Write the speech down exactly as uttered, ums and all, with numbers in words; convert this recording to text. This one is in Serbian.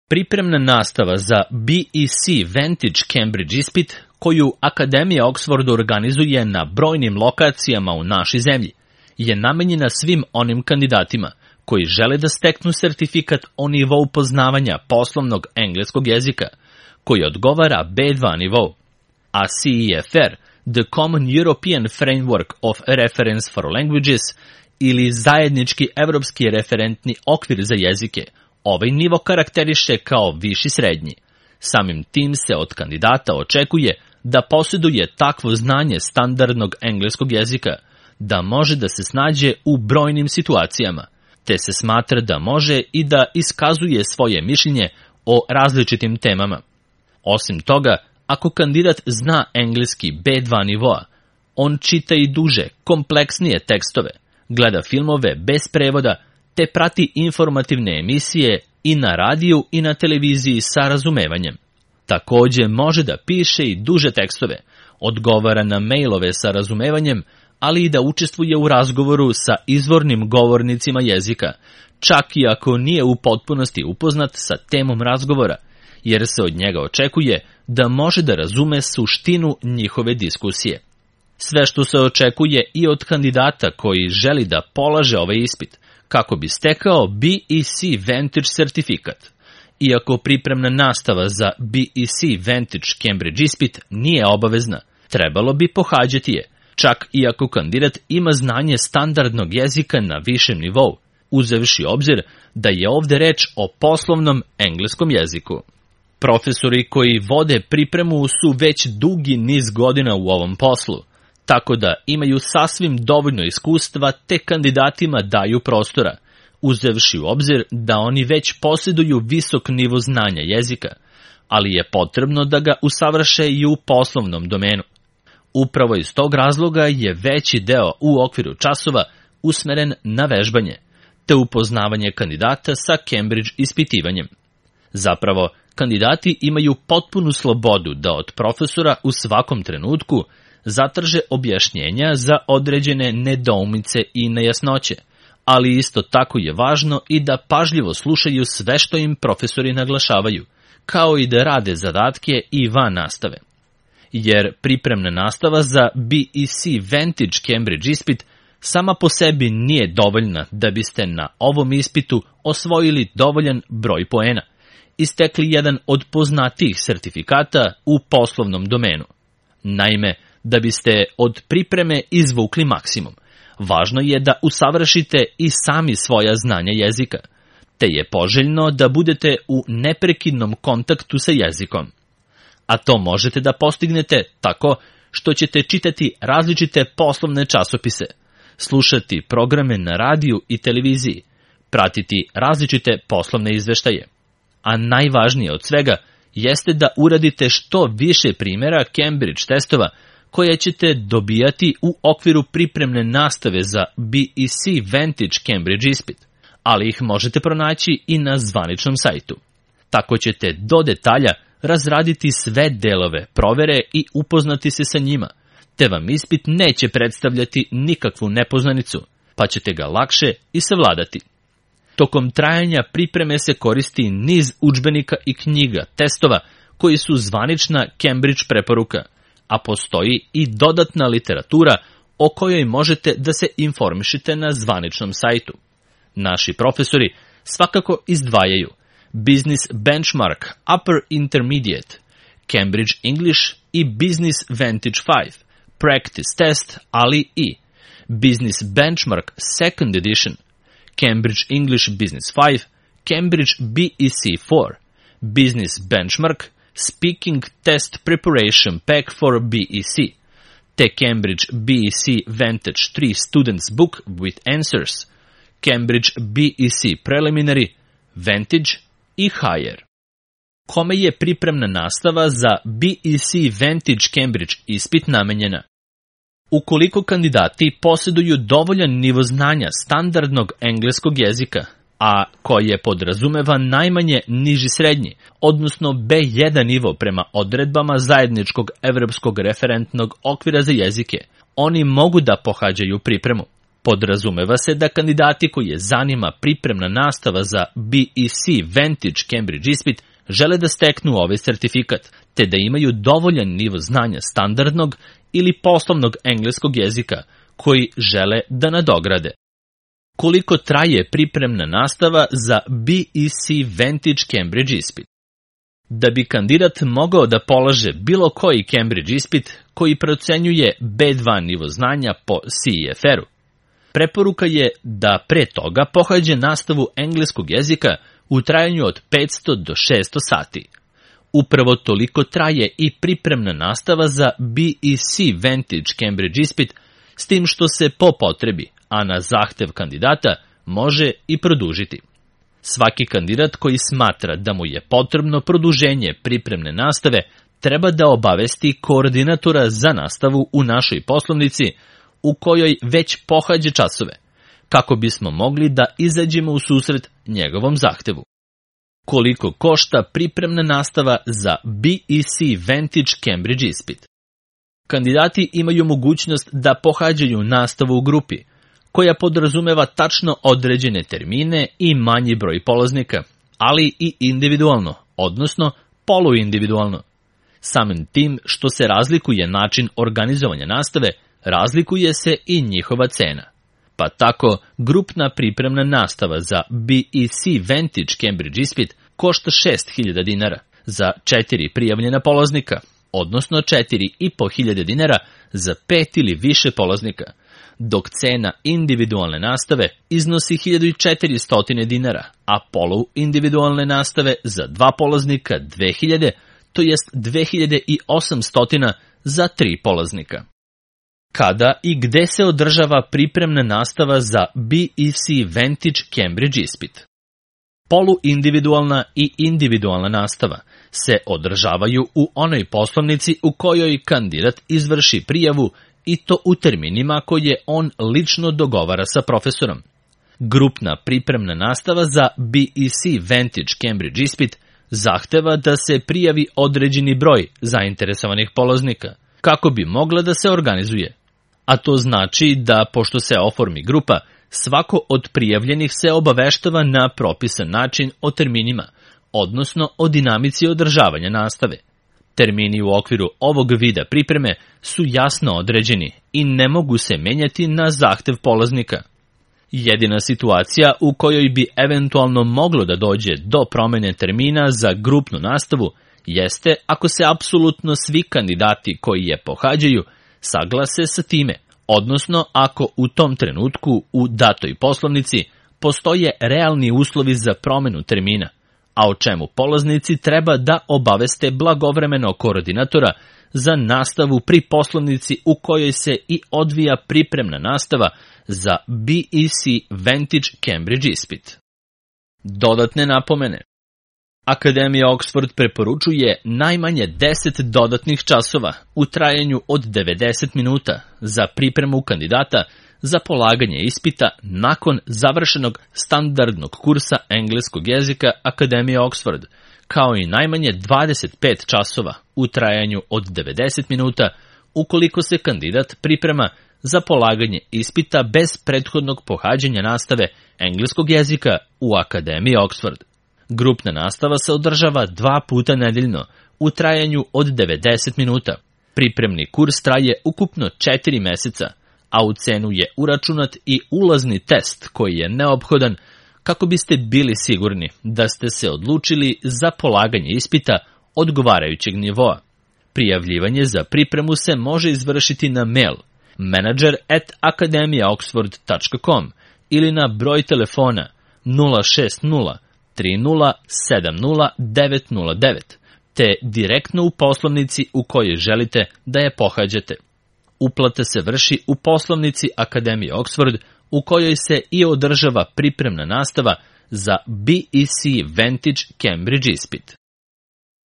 Pripremna nastava za B E C Vantage Cambridge ispit, koju Akademija Oxford organizuje na brojnim lokacijama u našoj zemlji, je namenjena svim onim kandidatima koji žele da steknu sertifikat o nivou poznavanja poslovnog engleskog jezika, koji odgovara B dva nivou, a C E F R, The Common European Framework of Reference for Languages, ili zajednički evropski referentni okvir za jezike, ovaj nivo karakteriše kao viši srednji. Samim tim se od kandidata očekuje da posjeduje takvo znanje standardnog engleskog jezika, da može da se snađe u brojnim situacijama, te se smatra da može i da iskazuje svoje mišljenje o različitim temama. Osim toga, ako kandidat zna engleski B dva nivoa, on čita i duže, kompleksnije tekstove, gleda filmove bez prevoda, te prati informativne emisije i na radiju i na televiziji sa razumevanjem. Takođe može da piše i duže tekstove, odgovara na mailove sa razumevanjem, ali i da učestvuje u razgovoru sa izvornim govornicima jezika, čak i ako nije u potpunosti upoznat sa temom razgovora, jer se od njega očekuje da može da razume suštinu njihove diskusije. Sve što se očekuje i od kandidata koji želi da polaže ovaj ispit, kako bi stekao B E C Vantage sertifikat. Iako pripremna nastava za B E C Vantage Cambridge ispit nije obavezna, trebalo bi pohađati je, čak i ako kandidat ima znanje standardnog jezika na višem nivou, uzevši obzir da je ovde reč o poslovnom engleskom jeziku. Profesori koji vode pripremu su već dugi niz godina u ovom poslu, tako da imaju sasvim dovoljno iskustva te kandidatima daju prostora, uzevši u obzir da oni već posjeduju visok nivo znanja jezika, ali je potrebno da ga usavrše i u poslovnom domenu. Upravo iz tog razloga je veći deo u okviru časova usmeren na vežbanje, te upoznavanje kandidata sa Cambridge ispitivanjem. Zapravo, kandidati imaju potpunu slobodu da od profesora u svakom trenutku zatraže objašnjenja za određene nedoumice i nejasnoće, ali isto tako je važno i da pažljivo slušaju sve što im profesori naglašavaju, kao i da rade zadatke i van nastave. Jer pripremna nastava za B E C Vantage Cambridge ispit sama po sebi nije dovoljna da biste na ovom ispitu osvojili dovoljan broj poena i stekli jedan od poznatijih sertifikata u poslovnom domenu. Naime, da biste od pripreme izvukli maksimum, važno je da usavršite i sami svoja znanja jezika, te je poželjno da budete u neprekidnom kontaktu sa jezikom. A to možete da postignete tako što ćete čitati različite poslovne časopise, slušati programe na radiju i televiziji, pratiti različite poslovne izveštaje. A najvažnije od svega jeste da uradite što više primjera Cambridge testova koje ćete dobijati u okviru pripremne nastave za B E C Vantage Cambridge ispit, ali ih možete pronaći i na zvaničnom sajtu. Tako ćete do detalja razraditi sve delove provere i upoznati se sa njima, te vam ispit neće predstavljati nikakvu nepoznanicu, pa ćete ga lakše i savladati. Tokom trajanja pripreme se koristi niz udžbenika i knjiga, testova koji su zvanična Cambridge preporuka, a postoji i dodatna literatura o kojoj možete da se informišete na zvaničnom sajtu. Naši profesori svakako izdvajaju Business Benchmark Upper Intermediate, Cambridge English i Business Vantage pet, Practice Test, ali i Business Benchmark Second Edition, Cambridge English Business pet, Cambridge B E C četiri, Business Benchmark Speaking Test Preparation Pack for B E C, te Cambridge B E C Vantage tri Students Book with Answers, Cambridge B E C Preliminary, Vantage i Higher. Kome je pripremna nastava za B E C Vantage Cambridge ispit namenjena? Ukoliko kandidati posjeduju dovoljan nivo znanja standardnog engleskog jezika, a koje podrazumeva najmanje niži srednji, odnosno B jedan nivo prema odredbama zajedničkog evropskog referentnog okvira za jezike, oni mogu da pohađaju pripremu. Podrazumeva se da kandidati koji je zanima pripremna nastava za B E C Vantage Cambridge ispit žele da steknu ovaj sertifikat, te da imaju dovoljan nivo znanja standardnog ili poslovnog engleskog jezika koji žele da nadograde. Koliko traje pripremna nastava za B E C Vantage Cambridge ispit? Da bi kandidat mogao da polaže bilo koji Cambridge ispit koji procenjuje B dva nivo znanja po C E F R-u, preporuka je da pre toga pohađe nastavu engleskog jezika u trajanju od petsto do šesto sati. Upravo toliko traje i pripremna nastava za B E C Vantage Cambridge ispit, s tim što se po potrebi, a na zahtev kandidata, može i produžiti. Svaki kandidat koji smatra da mu je potrebno produženje pripremne nastave treba da obavesti koordinatora za nastavu u našoj poslovnici u kojoj već pohađa časove, kako bismo mogli da izađemo u susret njegovom zahtevu. Koliko košta pripremna nastava za B E C Vantage Cambridge ispit? Kandidati imaju mogućnost da pohađaju nastavu u grupi, koja podrazumeva tačno određene termine i manji broj polaznika, ali i individualno, odnosno poluindividualno. Samim tim što se razlikuje način organizovanja nastave, razlikuje se i njihova cena. Pa tako, grupna pripremna nastava za B E C Vantage Cambridge ispit košta šest hiljada dinara za četiri prijavljena polaznika, odnosno četiri i po hiljade dinara za pet ili više polaznika, dok cena individualne nastave iznosi hiljadu četiristo dinara, a poluindividualne nastave za dva polaznika dve hiljade, to jest dve hiljade osamsto za tri polaznika. Kada i gde se održava pripremna nastava za B E C Vantage Cambridge ispit? Poluindividualna i individualna nastava se održavaju u onoj poslovnici u kojoj kandidat izvrši prijavu i to u terminima koje on lično dogovara sa profesorom. Grupna pripremna nastava za B E C Vantage Cambridge ispit zahteva da se prijavi određeni broj zainteresovanih polaznika, kako bi mogla da se organizuje. A to znači da, pošto se oformi grupa, svako od prijavljenih se obaveštava na propisan način o terminima, odnosno o dinamici održavanja nastave. Termini u okviru ovog vida pripreme su jasno određeni i ne mogu se menjati na zahtev polaznika. Jedina situacija u kojoj bi eventualno moglo da dođe do promene termina za grupnu nastavu jeste ako se apsolutno svi kandidati koji je pohađaju saglase sa time, odnosno ako u tom trenutku u datoj poslovnici postoje realni uslovi za promenu termina, a o čemu polaznici treba da obaveste blagovremeno koordinatora za nastavu pri poslovnici u kojoj se i odvija pripremna nastava za B E C Vantage Cambridge ispit. Dodatne napomene. Akademija Oxford preporučuje najmanje deset dodatnih časova u trajanju od devedeset minuta za pripremu kandidata za polaganje ispita nakon završenog standardnog kursa engleskog jezika Akademije Oxford, kao i najmanje dvadeset pet časova u trajanju od devedeset minuta ukoliko se kandidat priprema za polaganje ispita bez prethodnog pohađanja nastave engleskog jezika u Akademiji Oxford. Grupna nastava se održava dva puta nedeljno u trajanju od devedeset minuta. Pripremni kurs traje ukupno četiri meseca, a u cenu je uračunat i ulazni test koji je neophodan kako biste bili sigurni da ste se odlučili za polaganje ispita odgovarajućeg nivoa. Prijavljivanje za pripremu se može izvršiti na mail manager at academia oxford dot com ili na broj telefona nula šest nula tri nula sedam nula devet nula devet, te direktno u poslovnici u kojoj želite da je pohađate. Uplata se vrši u poslovnici Akademije Oxford u kojoj se i održava pripremna nastava za B E C Vantage Cambridge ispit.